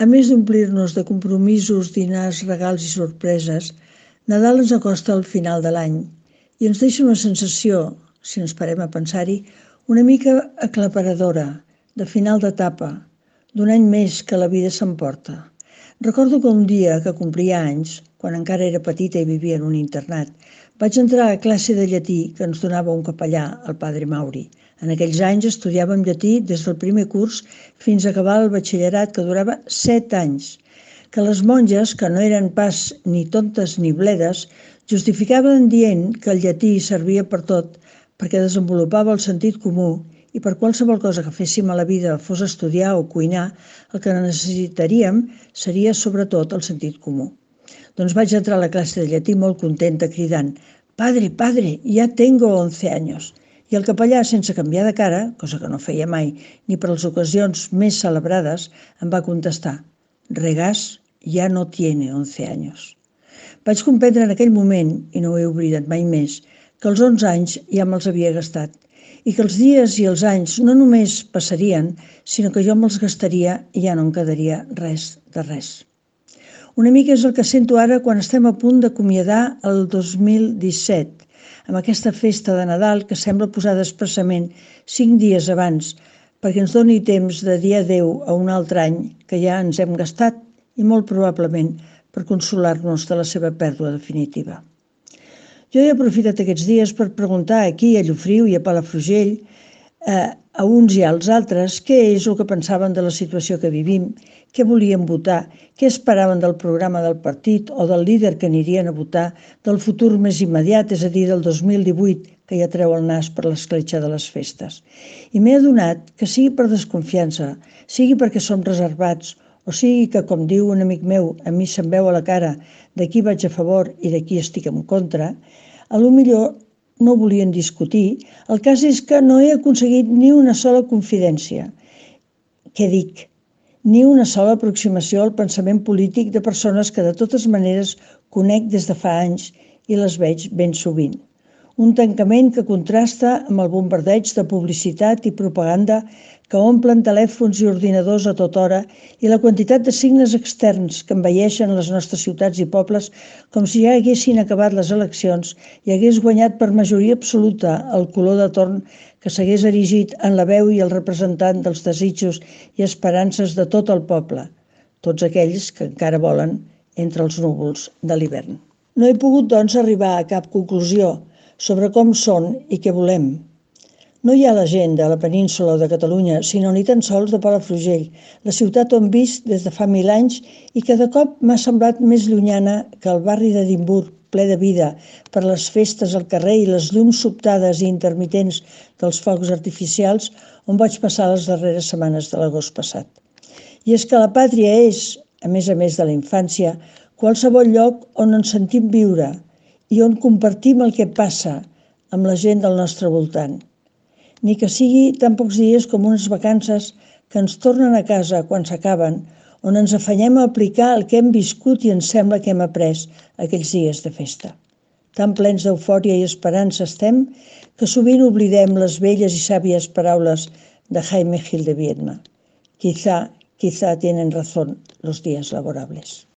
A més d'omplir-nos de compromisos, dinars, regals i sorpreses, Nadal ens acosta al final de l'any i ens deixa una sensació, si ens parem a pensar-hi, una mica aclaparadora, de final d'etapa, d'un any més que la vida s'emporta. Recordo que un dia que complia anys, quan encara era petita i vivia en un internat, vaig entrar a classe de llatí que ens donava un capellà, el padre Mauri. En aquells anys estudiàvem llatí des del primer curs fins a acabar el batxillerat, que durava 7 anys, que les monges, que no eren pas ni tontes ni bledes, justificaven dient que el llatí servia per tot, perquè desenvolupava el sentit comú i per qualsevol cosa que féssim a la vida, fos estudiar o cuinar, el que necessitaríem seria sobretot el sentit comú. Doncs vaig entrar a la classe de llatí molt contenta, cridant «Padre, padre, ya tengo 11 años». I el capellà, sense canviar de cara, cosa que no feia mai, ni per les ocasions més celebrades, em va contestar «Regàs ya no tiene 11 años». Vaig comprendre en aquell moment, i no ho he oblidat mai més, que els 11 anys ja me'ls havia gastat i que els dies i els anys no només passarien, sinó que jo me'ls gastaria i ja no em quedaria res de res. Una mica és el que sento ara quan estem a punt d'acomiadar el 2017, amb aquesta festa de Nadal que sembla posada expressament 5 dies abans, perquè ens doni temps de dir adeu a un altre any que ja ens hem gastat i molt probablement per consolar-nos de la seva pèrdua definitiva. Jo he aprofitat aquests dies per preguntar aquí a Llofriu i a Palafrugell a uns i als altres què és el que pensaven de la situació que vivim, què volien votar, què esperaven del programa del partit o del líder que anirien a votar, del futur més immediat, és a dir, del 2018, que ja treu el nas per l'escletxa de les festes. I m'he adonat que sigui per desconfiança, sigui perquè som reservats, o sigui que, com diu un amic meu, a mi se'm veu a la cara de qui vaig a favor i de qui estic en contra, potser no volien discutir. El cas és que no he aconseguit ni una sola confidència. Què dic? Ni una sola aproximació al pensament polític de persones que de totes maneres conec des de fa anys i les veig ben sovint. Un tancament que contrasta amb el bombardeig de publicitat i propaganda que omplen telèfons i ordinadors a tota hora i la quantitat de signes externs que envaeixen les nostres ciutats i pobles com si ja haguessin acabat les eleccions i hagués guanyat per majoria absoluta el color de torn que s'hagués erigit en la veu i el representant dels desitjos i esperances de tot el poble, tots aquells que encara volen entre els núvols de l'hivern. No he pogut, doncs, arribar a cap conclusió sobre com són i què volem. No hi ha la gent de la península o de Catalunya, sinó ni tan sols de Palafrugell, la ciutat on visc des de fa 1000 anys i que de cop m'ha semblat més llunyana que el barri d'Edimburg, ple de vida, per les festes al carrer i les llums sobtades i intermitents dels focs artificials on vaig passar les darreres setmanes de l'agost passat. I és que la pàtria és, a més de la infància, qualsevol lloc on ens sentim viure i on compartim el que passa amb la gent del nostre voltant. Ni que sigui tan pocs dies com unes vacances que ens tornen a casa quan s'acaben, on ens afanyem a aplicar el que hem viscut i ens sembla que hem après aquells dies de festa. Tan plens d'eufòria i esperança estem que sovint oblidem les velles i sàvies paraules de Jaime Gil de Biedma. Quizá tienen razón los días laborables.